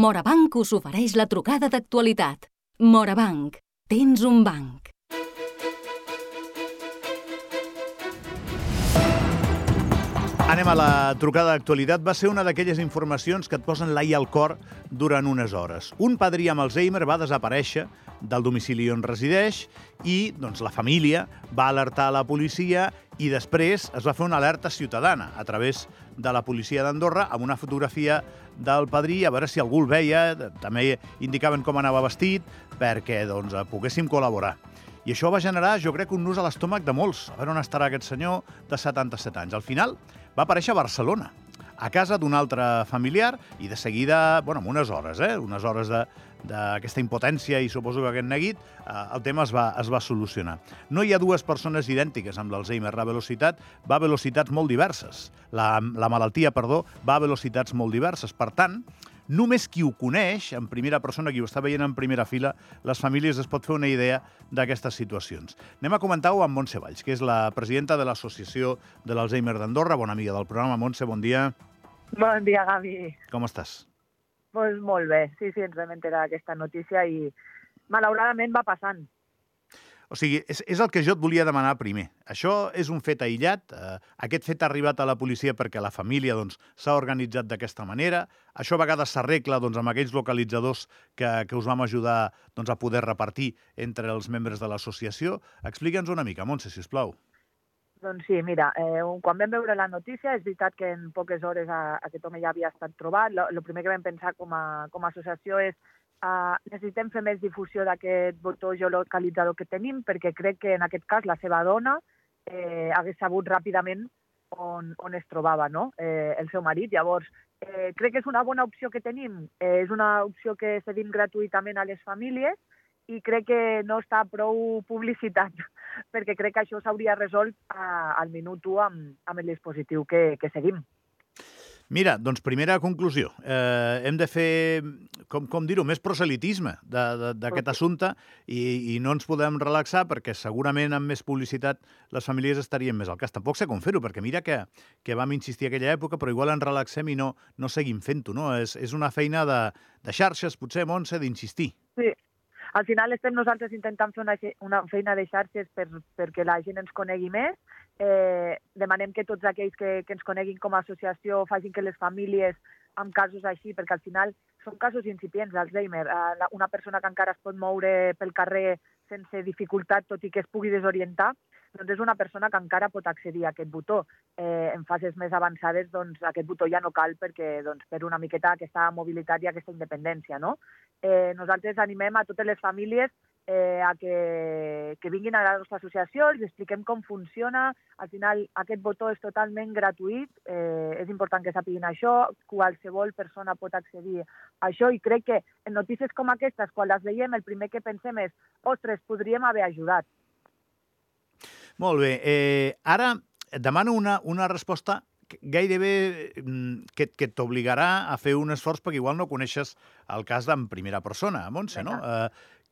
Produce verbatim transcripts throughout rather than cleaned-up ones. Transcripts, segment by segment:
Morabanc us ofereix la trucada d'actualitat. Morabanc, tens un banc. Anem a la trucada d'actualitat. Va ser una d'aquelles informacions que et posen l'ai al cor durant unes hores. Un padrí amb Alzheimer va desaparèixer del domicili on resideix i doncs, la família va alertar a la policia i després es va fer una alerta ciutadana a través de la policia d'Andorra amb una fotografia del padrí, a veure si algú el veia. També indicaven com anava vestit perquè doncs, poguéssim col·laborar. I això va generar, jo crec, un nus a l'estómac de molts. A veure on estarà aquest senyor de setanta-set anys. Al final va aparèixer a Barcelona, a casa d'un altre familiar, i de seguida, bueno, en unes hores, eh, unes hores d'aquesta impotència i suposo que aquest neguit, eh, el tema es va, es va solucionar. No hi ha dues persones idèntiques amb l'Alzheimer. La velocitat va a velocitats molt diverses. La, la malaltia, perdó, va a velocitats molt diverses. Per tant, només qui ho coneix, en primera persona, qui ho està veient en primera fila, les famílies es pot fer una idea d'aquestes situacions. Anem a comentar-ho amb Montse Valls, que és la presidenta de l'Associació de l'Alzheimer d'Andorra, bona amiga del programa. Montse, bon dia. Bon dia, Gavi. Com estàs? Pues molt bé, sí, sí, ens vam enterar d'aquesta notícia i malauradament va passant. O sigui, és, és el que jo et volia demanar primer. Això és un fet aïllat? Eh, aquest fet ha arribat a la policia perquè la família doncs, s'ha organitzat d'aquesta manera? Això a vegades s'arregla doncs, amb aquells localitzadors que, que us vam ajudar doncs, a poder repartir entre els membres de l'associació? Explica'ns una mica, Montse, sisplau. Doncs sí, mira, eh, quan vam veure la notícia, és veritat que en poques hores a, aquest home ja havia estat trobat. El primer que vam pensar com a, com a associació és Uh, necessitem fer més difusió d'aquest botó geolocalitzador que tenim, perquè crec que en aquest cas la seva dona eh, hagués sabut ràpidament on, on es trobava, no? eh, el seu marit. Llavors, eh, crec que és una bona opció que tenim. Eh, és una opció que cedim gratuïtament a les famílies i crec que no està prou publicitat, perquè crec que això s'hauria resolt uh, al minut u amb, amb el dispositiu que, que seguim. Mira, doncs primera conclusió. Eh, hem de fer, com, com dir-ho, més proselitisme d'aquest assumpte i, i no ens podem relaxar perquè segurament amb més publicitat les famílies estarien més al cas. Tampoc sé com fer-ho, perquè mira que, que vam insistir a aquella època, però igual ens relaxem i no, no seguim fent-ho, no? És, és una feina de, de xarxes, potser, Montse, d'insistir. Sí. Al final estem nosaltres intentant fer una, una feina de xarxes per, perquè la gent ens conegui més. Eh, demanem que tots aquells que, que ens coneguin com a associació facin que les famílies amb casos així, perquè al final són casos incipients d'Alzheimer. Eh, una persona que encara es pot moure pel carrer sense dificultat, tot i que es pugui desorientar, doncs és una persona que encara pot accedir a aquest botó. Eh, en fases més avançades, doncs, aquest botó ja no cal perquè doncs, per una miqueta aquesta mobilitat i aquesta independència, no? Eh, nosaltres animem a totes les famílies eh, a que, que vinguin a la nostra associació, els expliquem com funciona. Al final, aquest botó és totalment gratuït, eh, és important que sapiguin això, qualsevol persona pot accedir a això i crec que en notícies com aquestes, quan les veiem, el primer que pensem és ostres, podríem haver ajudat. Molt bé. Eh, ara et demano una, una resposta gairebé que, que t'obligarà a fer un esforç perquè igual no coneixes el cas en primera persona, Montse, no? Eh,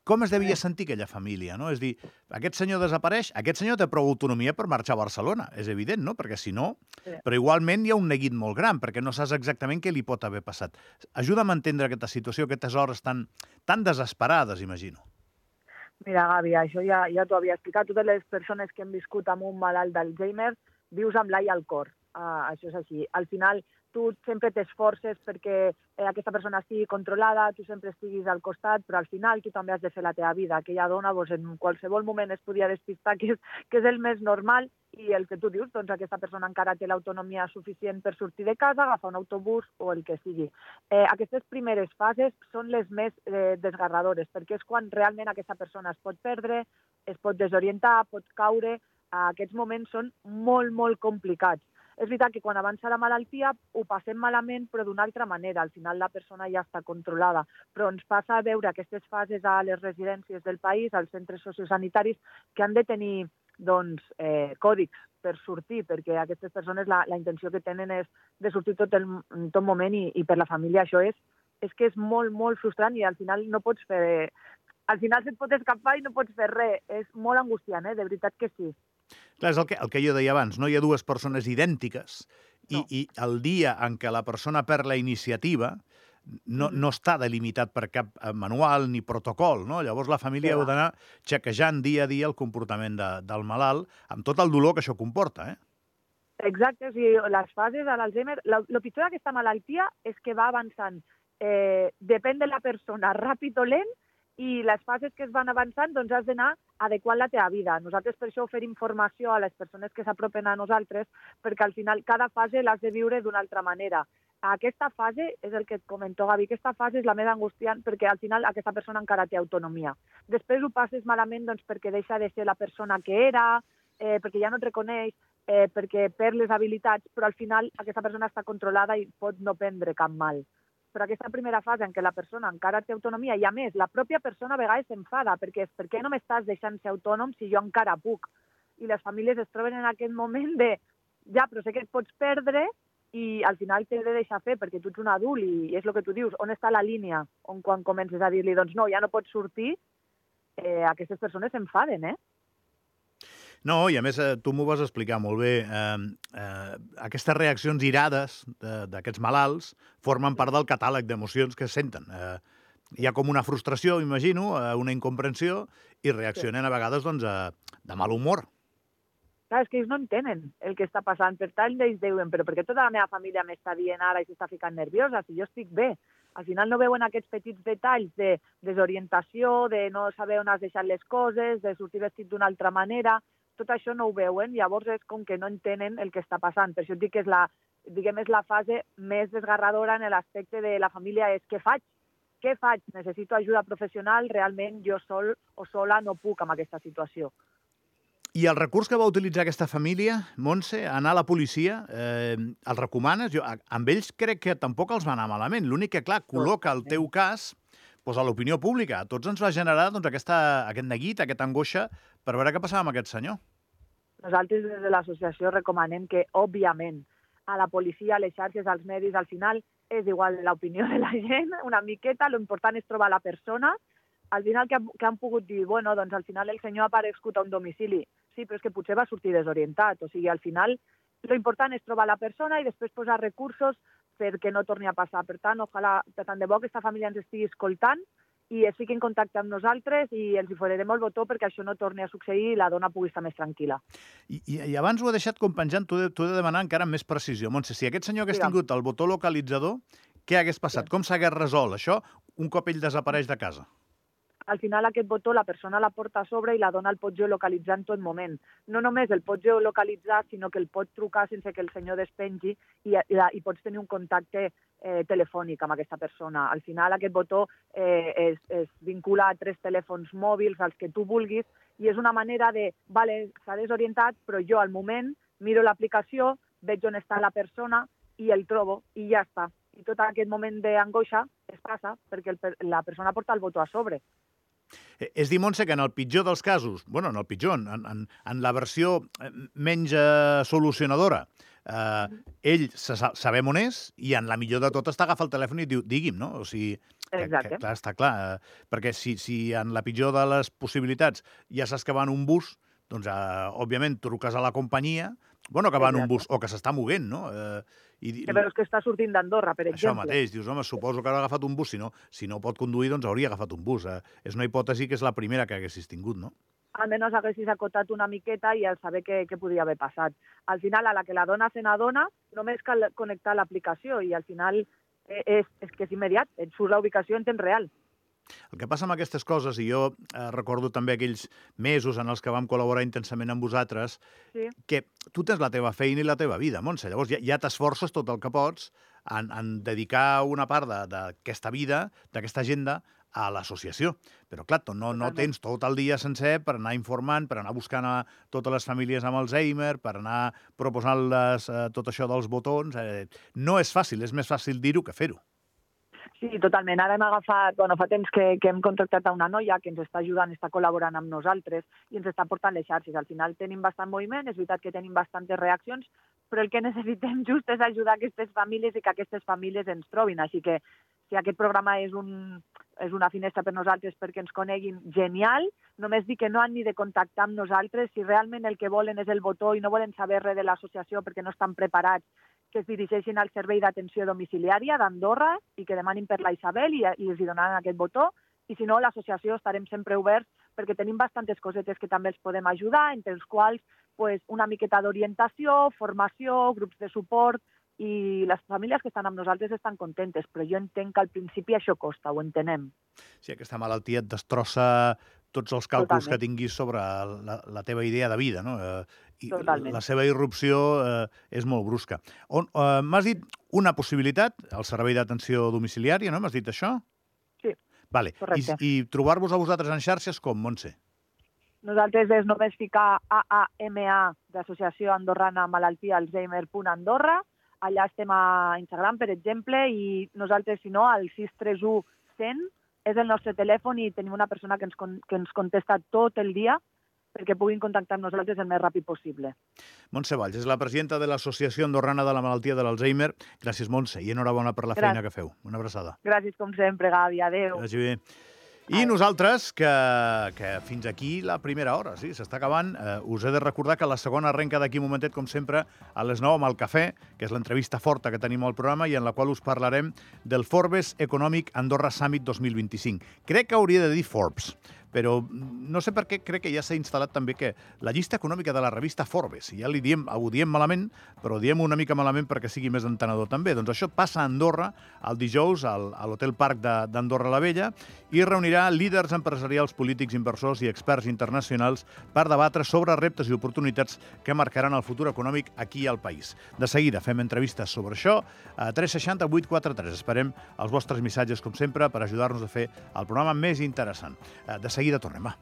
com es devia sentir aquella família, no? És dir, aquest senyor desapareix, aquest senyor té prou autonomia per marxar a Barcelona, és evident, no? Perquè si no... Però igualment hi ha un neguit molt gran, perquè no saps exactament què li pot haver passat. Ajuda'm a entendre aquesta situació, aquestes hores tan, tan desesperades, imagino. Mira, Gavi, això ja, ja t'ho havia explicat. Totes les persones que hem viscut amb un malalt d'Alzheimer vius amb l'ai al cor. Uh, això és així. Al final, tu sempre t'esforces perquè eh, aquesta persona estigui controlada, tu sempre estiguis al costat, però al final tu també has de fer la teva vida. Aquella dona doncs, en qualsevol moment es podia despistar, que és, que és el més normal, i el que tu dius, doncs aquesta persona encara té l'autonomia suficient per sortir de casa, agafar un autobús o el que sigui. Eh, aquestes primeres fases són les més eh, desgarradores, perquè és quan realment aquesta persona es pot perdre, es pot desorientar, pot caure. Aquests moments són molt, molt complicats. És veritat que quan avança la malaltia ho passem malament, però d'una altra manera. Al final la persona ja està controlada. Però ens passa a veure aquestes fases a les residències del país, als centres sociosanitaris, que han de tenir doncs, eh, còdics per sortir, perquè aquestes persones la, la intenció que tenen és de sortir tot el, en tot moment i, i per la família això és, és que és molt, molt frustrant i al final no pots fer... Al final se't pot escapar i no pots fer res. És molt angustiant, eh? De veritat que sí. Clar, és el que, el que jo deia abans, no hi ha dues persones idèntiques i, no. i el dia en què la persona perd la iniciativa no, no està delimitat per cap manual ni protocol, no? Llavors la família heu d'anar xequejant dia a dia el comportament de, del malalt, amb tot el dolor que això comporta, eh? Exacte, o sigui, les fases de l'Alzheimer, el pitjor d'aquesta malaltia és que va avançant, eh, depèn de la persona, ràpid o lent, i les fases que es van avançant, doncs has d'anar adequant la teva vida. Nosaltres per això oferim informació a les persones que s'apropen a nosaltres, perquè al final cada fase l'has de viure d'una altra manera. Aquesta fase, és el que et comento, Gavi, aquesta fase és la més angustiant perquè al final aquesta persona encara té autonomia. Després ho passes malament doncs, perquè deixa de ser la persona que era, eh, perquè ja no et reconeix, eh, perquè perd les habilitats, però al final aquesta persona està controlada i pot no prendre cap mal. Però aquesta primera fase en què la persona encara té autonomia i, a més, la pròpia persona a vegades s'enfada perquè és per què no m'estàs deixant ser autònom si jo encara puc? I les famílies es troben en aquest moment de ja, però sé que et pots perdre i al final t'he de deixar fer perquè tu ets un adult i és el que tu dius, on està la línia on quan comences a dir-li, doncs no, ja no pots sortir, eh, aquestes persones s'enfaden, eh? No, i a més tu m'ho vas explicar molt bé. Eh, eh, aquestes reaccions irades d'aquests malalts formen part del catàleg d'emocions que senten. Eh, hi ha com una frustració, imagino, una incomprensió, i reaccionen a vegades doncs, de mal humor. Clar, és que ells no entenen el que està passant. Per tant, ells diuen, però per què tota la meva família m'està dient ara i s'està ficant nerviosa si jo estic bé? Al final no veuen aquests petits detalls de desorientació, de no saber on has deixat les coses, de sortir vestit d'una altra manera. Tot això no ho veuen, llavors és com que no entenen el que està passant. Per això et dic que és la, diguem, és la fase més desgarradora en l'aspecte de la família, és què faig? Què faig? Necessito ajuda professional, realment jo sol o sola no puc amb aquesta situació. I el recurs que va utilitzar aquesta família, Montse, anar a la policia, eh, el recomanes? Jo, amb ells crec que tampoc els va anar malament. L'únic que, clar, col·loca el teu cas doncs, a l'opinió pública. A tots ens va generar doncs, aquesta, aquest neguit, aquesta angoixa per veure què passava amb aquest senyor. Nosaltres des de l'associació recomanem que, òbviament, a la policia, a les xarxes, als medis, al final és igual l'opinió de la gent, una miqueta, l'important és trobar la persona. Al final que, que han pogut dir, bueno, doncs al final el senyor ha aparegut a un domicili. Sí, però és que potser va sortir desorientat. O sigui, al final, l'important és trobar la persona i després posar recursos perquè no torni a passar. Per tant, ojalà, per tant de bo, aquesta família ens estigui escoltant i es fiqui en contacte amb nosaltres i els hi farem el botó perquè això no torni a succeir i la dona pugui estar més tranquil·la. I, i, i abans ho he deixat com penjant, t'ho he, he de demanar encara amb més precisió. Montse, si aquest senyor hagués tingut el botó localitzador, què hagués passat? Sí. Com s'hagués resolt això un cop ell desapareix de casa? Al final aquest botó la persona la porta a sobre i la dona el pot geolocalitzar en tot moment. No només el pot geolocalitzar, sinó que el pot trucar sense que el senyor despengi i, i, i pots tenir un contacte eh, telefònic amb aquesta persona. Al final aquest botó eh, es, es vincula a tres telèfons mòbils, als que tu vulguis, i és una manera de, vale, s'ha desorientat, però jo al moment miro l'aplicació, veig on està la persona i el trobo i ja està. I tot aquest moment d'angoixa es passa perquè el, la persona porta el botó a sobre. És dir, Montse, que en el pitjor dels casos, bueno, en el pitjor, en, en, en la versió menys eh, solucionadora, eh, ell sa sabem on és i en la millor de tot està agafar el telèfon i diu, digui'm, no? O sigui, que, que, clar, està clar, eh, perquè si, si en la pitjor de les possibilitats ja saps que va en un bus, doncs, eh, òbviament, truques a la companyia, bueno, que va en un bus, o que s'està moguent, no? Eh, i, que però és que està sortint d'Andorra, per exemple. Això mateix, dius, home, suposo que haurà agafat un bus, si no, si no pot conduir, doncs hauria agafat un bus. Eh, és una hipòtesi que és la primera que haguessis tingut, no? Almenys haguessis acotat una miqueta i al saber què, què podia haver passat. Al final, a la que la dona se n'adona, només cal connectar l'aplicació i al final és, és que és immediat, et surt la ubicació en temps real. El que passa amb aquestes coses, i jo eh, recordo també aquells mesos en els que vam col·laborar intensament amb vosaltres, sí. que tu tens la teva feina i la teva vida, Montse. Llavors ja, ja t'esforces tot el que pots en, en dedicar una part d'aquesta vida, d'aquesta agenda, a l'associació. Però, clar, no, no tens tot el dia sencer per anar informant, per anar buscant a totes les famílies amb Alzheimer, per anar proposant-les eh, tot això dels botons. Eh, no és fàcil, és més fàcil dir-ho que fer-ho. Sí, totalment. Ara hem agafat, bueno, fa temps que, que hem contractat a una noia que ens està ajudant, està col·laborant amb nosaltres i ens està portant les xarxes. Al final tenim bastant moviment, és veritat que tenim bastantes reaccions, però el que necessitem just és ajudar aquestes famílies i que aquestes famílies ens trobin. Així que si aquest programa és, un, és una finestra per nosaltres perquè ens coneguin, genial. Només dir que no han ni de contactar amb nosaltres. Si realment el que volen és el botó i no volen saber res de l'associació perquè no estan preparats que es dirigeixin al servei d'atenció domiciliària d'Andorra i que demanin per la Isabel i, i els hi donaran aquest botó. I si no, l'associació estarem sempre oberts perquè tenim bastantes cosetes que també els podem ajudar, entre els quals pues, una miqueta d'orientació, formació, grups de suport, i les famílies que estan amb nosaltres estan contentes, però jo entenc que al principi això costa, ho entenem. Sí, aquesta malaltia et destrossa tots els càlculs Totalment. que tinguis sobre la, la teva idea de vida, no? Eh, i Totalment. la seva irrupció eh, és molt brusca. On, eh, m'has dit una possibilitat, el servei d'atenció domiciliària, no? M'has dit això? Sí, vale. correcte. I, i trobar-vos a vosaltres en xarxes com, Montse? Nosaltres és només ficar A A M A d'Associació Andorrana Malaltia Alzheimer punt Andorra. Allà estem a Instagram, per exemple, i nosaltres, si no, al sis tres u cent és el nostre telèfon i tenim una persona que ens, con que ens contesta tot el dia perquè puguin contactar amb nosaltres el més ràpid possible. Montse Valls és la presidenta de l'Associació Andorrana de la Malaltia de l'Alzheimer. Gràcies, Montse, i enhorabona per la Gràcies. feina que feu. Una abraçada. Gràcies, com sempre, Gavi. Adéu. Que vagi bé. I nosaltres, que, que fins aquí la primera hora, sí, s'està acabant. Eh, us he de recordar que la segona arrenca d'aquí un momentet, com sempre, a les nou amb el Cafè, que és l'entrevista forta que tenim al programa i en la qual us parlarem del Forbes Economic Andorra Summit dos mil vint-i-cinc. Crec que hauria de dir Forbes, però no sé per què crec que ja s'ha instal·lat també que la llista econòmica de la revista Forbes, ja li diem, ho diem malament, però ho diem una mica malament perquè sigui més entenedor també. Doncs això passa a Andorra el dijous al, a l'Hotel Parc d'Andorra la Vella i reunirà líders empresarials, polítics, inversors i experts internacionals per debatre sobre reptes i oportunitats que marcaran el futur econòmic aquí al país. De seguida fem entrevistes sobre això a tres sis zero vuit quatre tres. Esperem els vostres missatges, com sempre, per ajudar-nos a fer el programa més interessant. De seguida tornem, va.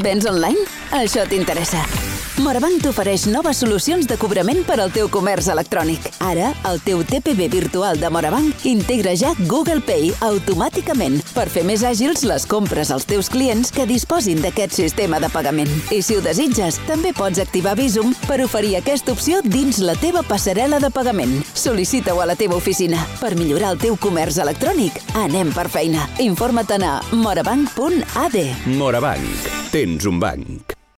Vens online? Això t'interessa. Morabanc t'ofereix noves solucions de cobrament per al teu comerç electrònic. Ara, el teu T P V virtual de Morabanc integra ja Google Pay automàticament per fer més àgils les compres als teus clients que disposin d'aquest sistema de pagament. I si ho desitges, també pots activar Visum per oferir aquesta opció dins la teva passarel·la de pagament. Sol·licita-ho a la teva oficina. Per millorar el teu comerç electrònic, anem per feina. Informa't a morabanc punt a d. Morabanc. Tens un banc.